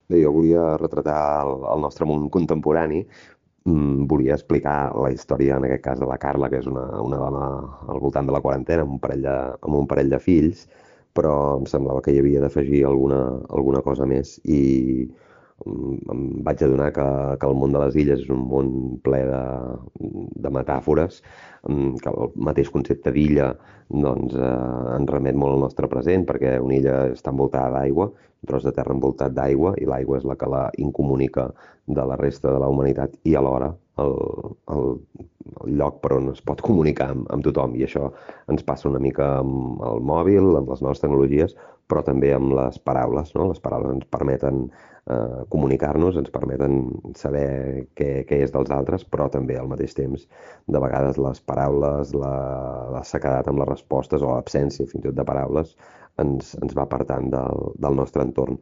Bé, jo volia retratar el nostre món contemporani. Volia explicar la història, en aquest cas, de la Carla, que és una dona al voltant de la quarantena, amb un parell de fills, però em semblava que hi havia d'afegir alguna cosa més i em vaig adonar que el món de les illes és un món ple de metàfores, que el mateix concepte d'illa doncs, ens remet molt al nostre present, perquè una illa està envoltada d'aigua, un tros de terra envoltat d'aigua, i l'aigua és la que la incomunica de la resta de la humanitat i alhora el lloc per on es pot comunicar amb tothom. I això ens passa una mica amb el mòbil, amb les noves tecnologies, però també amb les paraules, no? Les paraules ens permeten comunicar-nos, ens permeten saber què és dels altres, però també al mateix temps, de vegades les paraules, la sequedat amb les respostes o l'absència fins i tot de paraules ens va apartant del nostre entorn.